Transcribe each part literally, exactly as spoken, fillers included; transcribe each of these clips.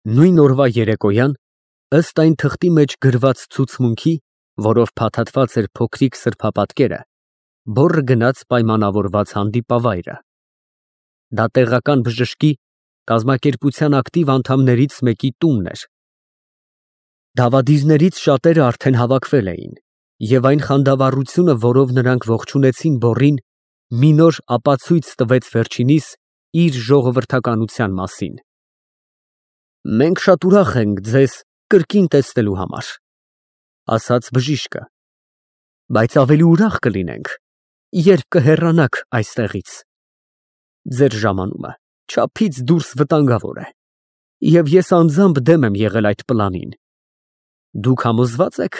Նույն օրվա երեկոյան, ըստ այն թղթի մեջ գրված ցուցմունքի, որով փաթաթված էր փոքրիկ սրբապատկերը, բոռը գնաց պայմանավորված հանդիպավայրը։ Դա տեղական բժշկի կազմակերպության ակտիվ անդամներից մեկի տունն էր։ Դավադիրներից շատերը արդեն հավաքվել էին, և այն խանդավառությունը, որով նրանք ողջունեցին բոռին, մի նոր ապացույց տվեց վերջինիս իր ժողովրդականության մասին։ «Մենք շատ ուրախ ենք ձեզ կրկին տեսնելու համար», ֊ ասաց բժիշկը, ֊ բայց ավելի ուրախ կլինենք, երբ կհեռանաք այստեղից։ Ձեր ժամանումը չափից դուրս վտանգավոր է, և ես անձամբ դեմ եմ եղել այդ պլանին։ Դուք համոզվա՞ծ եք,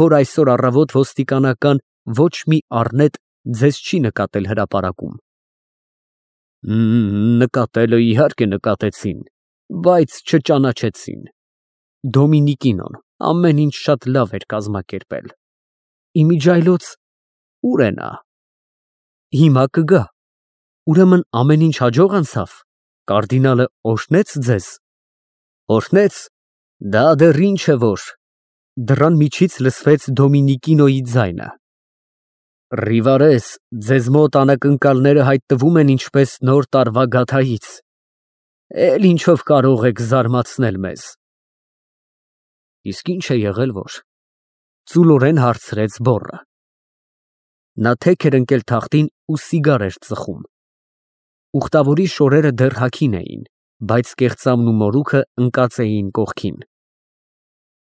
որ այսօր առավոտ ոստիկանական ոչ մի առնետ ձեզ չի նկատել հրապարակում։ Նկատելը իհարկե նկատեցին, բայց չճանաչեցին։ Դոմինիկինոն ամեն ինչ շատ լավ էր կազմակերպել։ Իմիջիայլոց ո՞ւր է նա։ Հիմա կգա։ Ուրեմն ամեն ինչ հաջող անցավ, կարդինալը օրհնեց ձեզ։ Օրհնեց, դա դեռ ինչ է որ։ Դռան միջից լսվեց Դոմինիկինոյի ձայնը։ Ռիվարես, ձեզ մոտ անակնկալները հայտնվում են ինչպես նոր տարվա գաթայից։ Էլ ինչով կարող եք զարմացնել մեզ։ Իսկ ի՞նչ է եղել որ, ծուլորեն հարցրեց բոռը։ Նա թեք էր ընկել թախտին ու սիգար էր ծխում։ Ուխտավորի շորերը դեռ հագին էին, բայց կեղծամն ու մորուքը ընկած էին կողքին։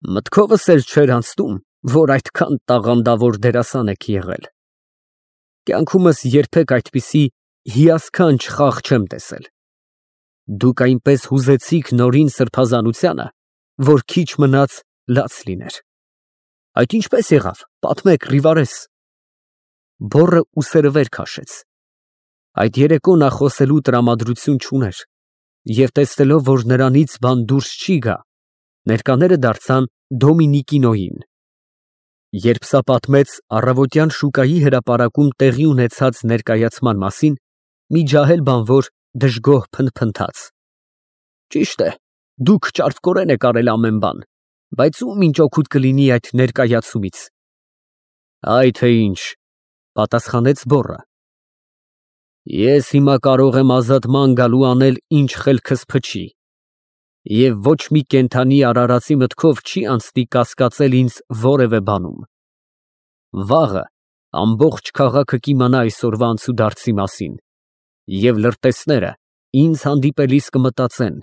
Մտքովս էլ չէր անցնում, որ այդքան տաղանդավոր դերասան եք եղել։ Կյանքումս երբեք այդպիսի հիասքանչ խաղ չեմ տեսել։ Դուք այնպես հուզեցիք նորին սրբազանությանը, որ քիչ մնաց լաց լիներ։ Այդ ինչպե՞ս եղավ, պատմեք, Ռիվարես։ Բոռը ուսերը վեր քաշեց։ Այդ երեկո նա խոսելու տրամադրություն չուներ, և տեսնելով, որ նրանից բան դուրս չի գա, ներկաները դարձան Դոմինիկինոյին։ Երբ սա պատմեց առավոտյան շուկայի հրապարակում տեղի ունեցած ներկայացման մասին, մի ջահել բանվոր դժգոհ փնթփնթաց. Ճիշտ է, դուք ճարպկորեն եք արել ամեն բան, բայց ում ինչ օգուտ կլինի այդ ներկայացումից։ Այ թե ինչ, պատասխանեց բոռը։ Ես հիմա կարող եմ ազատման գալու անել ինչ խելքս փչի, և ոչ մի կենդանի արարածի մտքով չի անցնի կասկածել ինձ որևէ բանում։ Վաղը ամբողջ քաղաքը կիմանա այսօրվա անցուդարձի մասին, և լրտեսները ինձ հանդիպելիս կմտածեն.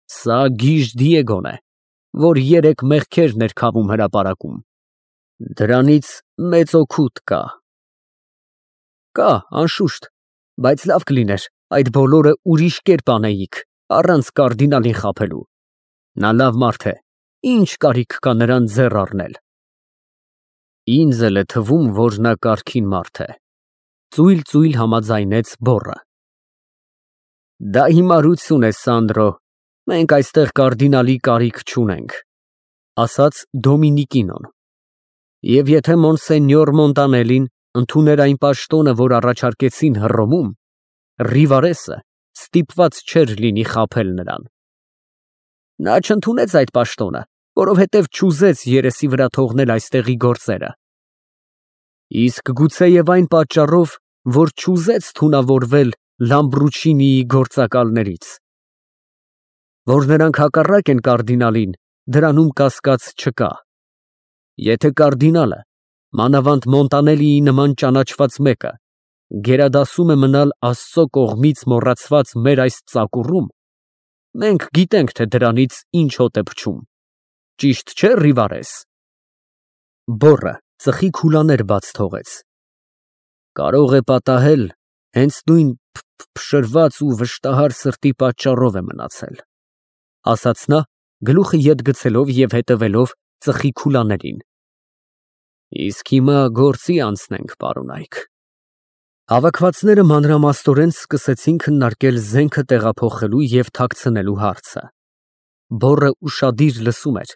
սա գիժ Դիեգոն է, որ երեք մեղքեր ներքավում հրապարակում։ Դրանից մեծ օգուտ կա։ Կա, անշուշտ, բայց լավ կլիներ այդ բոլորը ուրիշ կերպ անեիք, առանց կարդինալին խաբելու։ Նա լավ մարդ է, ինչ կարիք կա նրան ձեռ առնել։ Ինձ էլ է թվում, որ նա կարգին մարդ է, ծույլ֊ծույլ համաձայնեց բոռը։ Դա հիմարություն է, Սանդրո, մենք այստեղ կարդինալի կարիք չունենք, ասաց Դոմինիկինոն։ Եվ եթե մոնսենյոր Մոնտանելին ընդուներ այն պաշտոնը, որ առաջարկեցին Հռոմում, Ռիվարեսը ստիպված չէր լինի խաբել նրան։ Նա չընդունեց այդ պաշտոնը, որովհետև չուզեց երեսի վրա թողնել այստեղի գործերը։ Իսկ գուցեև այն պատճառով, որ չուզեց թունավորվել Լամբրուչինիի գործակալներից։ Որ նրանք հակառակ են կարդինալին, դրանում կասկած չկա։ Եթե կարդինալը, մանավանդ Մոնտանելիի նման ճանաչված մեկը, գերադասում է մնալ Աստծո կողմից մոռացված մեր այս ծակուռում, մենք գիտենք, թե դրանից ինչ հոտ է փչում։ Ճիշտ չէ՞, Ռիվարես։ Բոռը ծխի քուլաներ բաց թողեց։ Կարող է պատահել, հենց նույն փշրված ու վշտահար սրտի պատճառով է մնացել, ասաց նա, գլուխը ետ գցելով և հետևելով ծխի քուլաներին։ Իսկ հիմա գործի անցնենք, պարոնայք։ Հավաքվածները մանրամասնորեն սկսեցին քննարկել զենքը տեղափոխելու և թաքցնելու հարցը։ Բոռը ուշադիր լսում էր,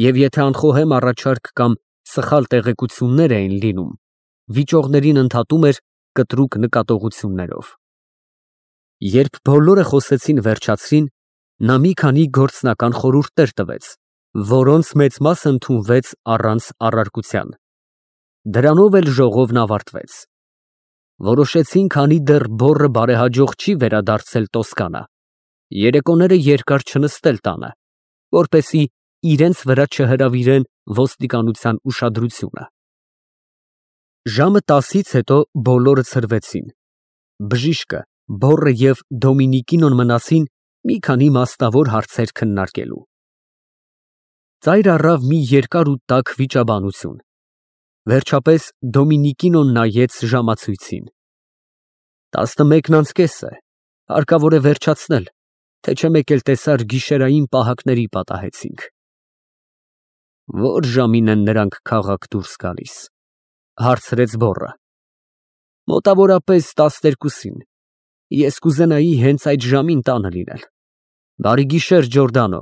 և եթե անխոհեմ առաջարկ կամ սխալ տեղեկություններ էին լինում, վիճողներին ընդհատում էր կտրուկ նկատողություններով։ Երբ բոլորը խոսեցին վերջացրին, Նա մի քանի գործնական խորհուրդներ տվեց, որոնց մեծ մասը ընդունվեց առանց առարկության։ Դրանով էլ ժողովն ավարտվեց։ Որոշեցին, քանի դեռ բոռը բարեհաջող չի վերադարձել Տոսկանա, երեկոները երկար չնստել տանը, որպեսզի իրենց վրա չհրավիրեն ոստիկանության ուշադրությունը։ Ժամը տասից հետո բոլորը ցրվեցին։ Բժիշկը, բոռը և Դոմինիկինոն մնացին մի քանի մասնավոր հարցեր քննարկելու։ Ծայր առավ մի երկար ու տաք վիճաբանություն։ Վերջապես Դոմինիկինոն նայեց ժամացույցին։ Տասնմեկն անց կես է, հարկավոր է վերջացնել, թե չէ մեկ էլ տեսար գիշերային պահակների պատահեցինք։ Ո՞ր ժամին են նրանք քաղաք դուրս գալիս, հարցրեց բոռը։ Մոտավորապես տասներկուսին, ես կուզենայի հենց այդ ժամին տանը լինել։ Բարի գիշեր, Ջորդանո։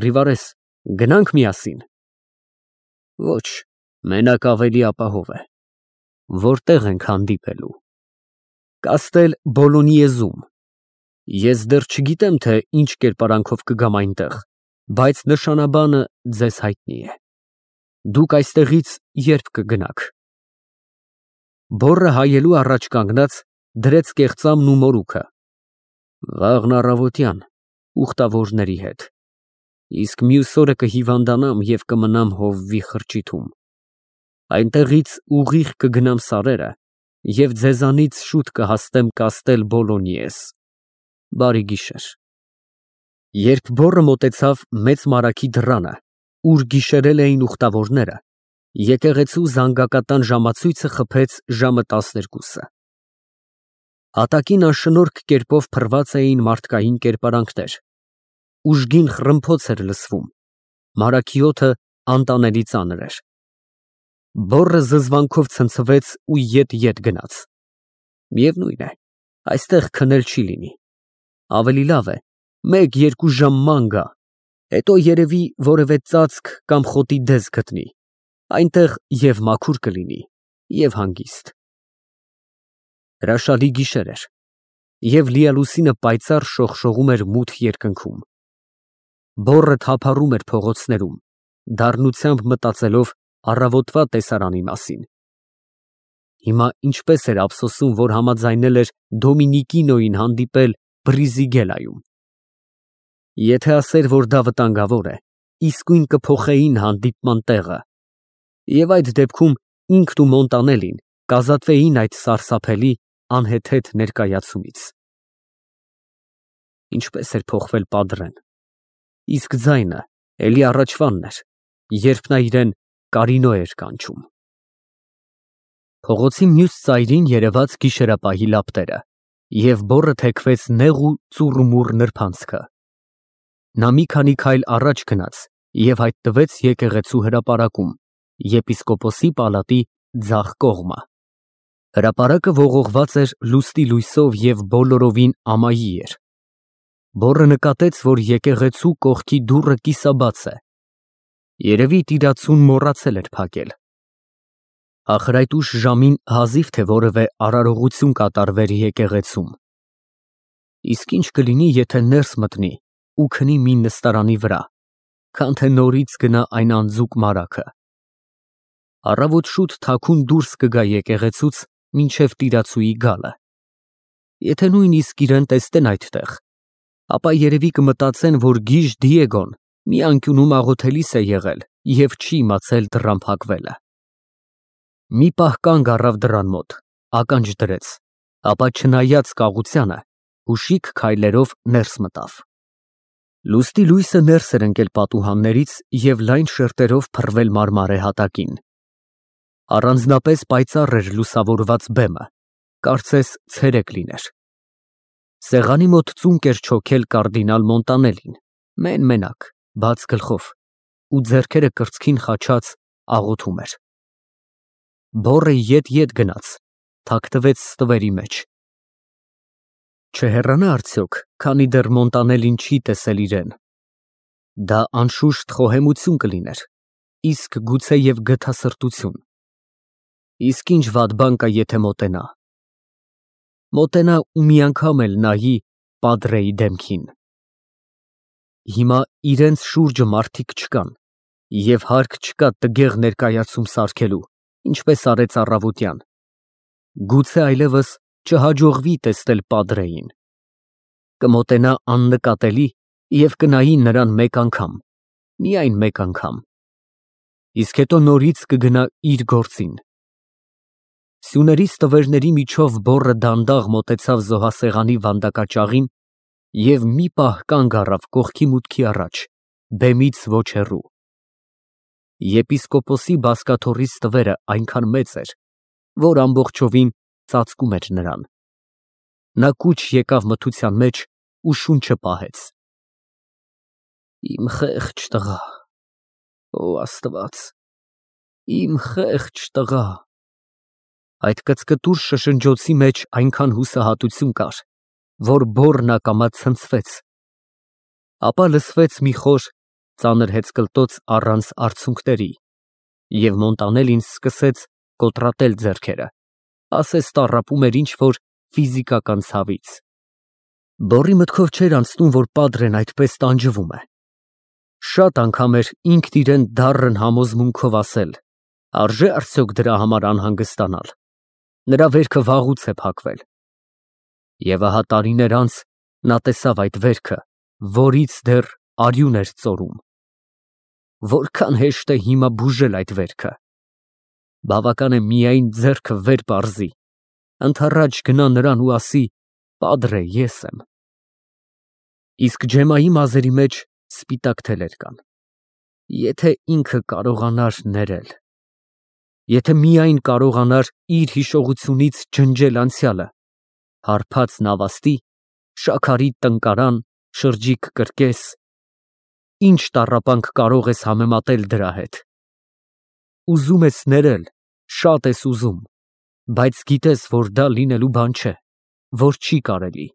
Ռիվարես, գնանք միասին։ Ոչ, մենակ ավելի ապահով է։ Որտեղ ենք հանդիպելու։ Կաստել Բոլոնիեզում։ Ես դեռ չգիտեմ, թե ինչ կերպարանքով կգամ այնտեղ, բայց նշանաբանը ձեզ հայտնի է։ Դուք այստեղից երբ կգնաք։ Բոռը հայելու առաջ կանգնած դրեց կեղծամն ու մորուքը։ Վաղն առավոտյան, ուխտավորների հետ, իսկ մյուս օրը կհիվանդանամ և կմնամ հովվի խրճիթում։ Այնտեղից ուղիղ կգնամ սարերը և ձեզանից շուտ կհասնեմ Կաստել Բոլոնիես։ Բարի գիշեր։ Երբ բոռը մոտեցավ մեծ մարագի դռանը, ուր գիշերել էին ուխտավորները, եկեղեցու զանգակատան ժամացույցը խփեց ժամը տասներկուսը։ Հատակին անշնորհք կերպով փռված էին մարդկային կերպարանքներ։ Ուժգին խռմփոց էր լսվում։ Մարագի օդը անտանելի ծանր էր։ Բոռը զզվանքով ցնցվեց ու ետ֊ետ գնաց։ Միևնույն է, այստեղ քնել չի լինի։ Ավելի լավ է մեկ֊երկու ժամ ման գա, հետո երևի որևէ ծածկ կամ խոտի դես գտնի, այնտեղ և մաքուր կլինի, և հանգիստ։ Հրաշալի գիշեր էր, և լիալուսինը պայծառ շողշողում էր մութ երկնքում։ Բոռը թափառում էր փողոցներում, դառնությամբ մտածելով առավոտվա տեսարանի մասին։ Հիմա ինչպես էր ափսոսում, որ համաձայնել էր Դոմինիկինոյին հանդիպել Բրիզիգելայում։ Եթե ասեր, որ դա վտանգավոր է, իսկույն կփոխեին հանդիպման տեղը, և այդ դեպքում ինքն ու Մոնտանելին կազատվեին այդ սարսափելի, անհեթեթ ներկայացումից։ Ինչպես էր փոխվել Պադրեն, իսկ ձայնը էլի առաջվանն էր, երբ նա իրեն Կարինո էր կանչում։ Փողոցի մյուս ծայրին երևաց գիշերապահի լապտերը, և բոռը թեքվեց նեղ ու ծուռումուռ նրբանցքը։ Նա մի քանի քայլ առաջ գնաց և հայտնվեց եկեղեցու հրապարակում, եպիսկոպոսի պալատի ձախ կողմը։ Հրապարակը ողողված էր լուսնի լույսով և բոլորովին ամայի էր։ Բոռը նկատեց, որ եկեղեցու կողքի դուռը կիսաբաց է։ Երևի տիրացուն մոռացել էր փակել։ Ախր այդ ուշ ժամին հազիվ թե որևէ արարողություն կատարվեր եկեղեցում։ Իսկ ինչ կլինի, եթե ներս մտնի ու քնի մի նստարանի վրա, քան թե նորից գնա այն անձուկ մարագը։ Առավոտ շուտ թաքուն դուրս կգա եկեղեցուց մինչև տիրացուի գալը։ Եթե նույնիսկ իրան տեսնեն այդտեղ, ապա երևի կմտածեն, որ գիժ Դիեգոն մի անկյունում աղոթելիս է եղել և չի իմացել դռան փակվելը։ Մի պահ կանգ առավ դռան մոտ, ականջ դրեց, ապա չնայած կաղությանը, հուշիկ քայլերով ներս մտավ։ Լուսնի լույսը ներս էր ընկել պատուհաններից և լայն շերտերով փռվել մարմարե հատակին։ Առանձնապես պայծառ էր լուսավորված բեմը, կարծես ցերեկ լիներ։ Սեղանի մոտ ծունկ էր չոքել կարդինալ Մոնտանելին, մեն֊մենակ, բաց գլխով, ու ձեռքերը կրծքին խաչած աղոթում էր։ Բոռը ետ֊ետ գնաց, թաքնվեց ստվերի մեջ։ Չհեռանա արդյոք, քանի դեռ Մոնտանելին չի տեսել իրեն։ Դա անշուշտ խոհեմություն կլիներ, իսկ գուցեև գթասրտություն։ Իսկ ինչ վատ բան կա, եթե մոտենա։ Մոտենա ու մի անգամ էլ նայի Պադրեի դեմքին։ Հիմա իրենց շուրջը մարդիկ չկան և հարկ չկա տգեղ ներկայացում սարքելու, ինչպես արեց առավոտյան, գուցե այլևս չհաջողվի տեսնել պատրեին, կմոտենա աննկատելի և կնայի նրան մեկ անգամ, միայն մեկ անգամ, իսկ հետո նորից կգնա իր գործին։ Սյուների ստվերների միջով բոռը դանդաղ մոտեցավ զոհասեղանի վանդակաճաղին և մի պահ կանգ առավ կողքի մուտքի առաջ, բեմից ոչ հեռու։ Եպիսկոպոսի բազկաթոռի ստվերը այնքան մեծ էր, որ ամբողջովին ծածկում էր նրան։ Նա կուչ եկավ մթության մեջ ու շունչը պահեց։ Իմ խեղճ տղա, օ Աստված, իմ խեղճ տղա։ Այդ կծկտուր շշնջոցի մեջ այնքան հուսահատություն կար, որ բոռն ակամա ցնցվեց, ապա լսվեց մի խոր, ծանր հեծկլտոց առանց արցունքների, և Մոնտանելին սկսեց կոտրատել ձեռքերը, ասես տառապում էր ինչ֊որ ֆիզիկական ցավից։ Բոռի մտքով չէր անցնում, որ պատրեն այդպես տանջվում է։ Շատ անգամ էր ինքն իրան դառն համոզմունքով ասել. արժե՞ արդյոք դրա համար անհանգստանալ, նրա վերքը վաղուց է փակվել։ Եվ ահա տարիներ անց նա տեսավ այդ վերքը, որից դեռ արյուն էր ծորում։ Որքան հեշտ է հիմա բուժել այդ վերքը։ Բավական է միայն ձեռքը վեր պարզի, ընդառաջ գնա նրան ու ասի. «Պատրե, ես եմ»։ Իսկ Ջեմայի մազերի մեջ սպիտակ թելեր կան։ Եթե ինքը կարողանար ներել, եթե միայն կարողանար իր հիշողությունից ջնջել անցյալը, հարբած նավաստի, շաքարի տնկարան, շրջիկ կրկես, ինչ տառապանք կարող ես համեմատել դրա հետ։ Ուզում ես ներել, շատ ես ուզում, բայց գիտես, որ դա լինելու բան չէ, որ չի կարելի։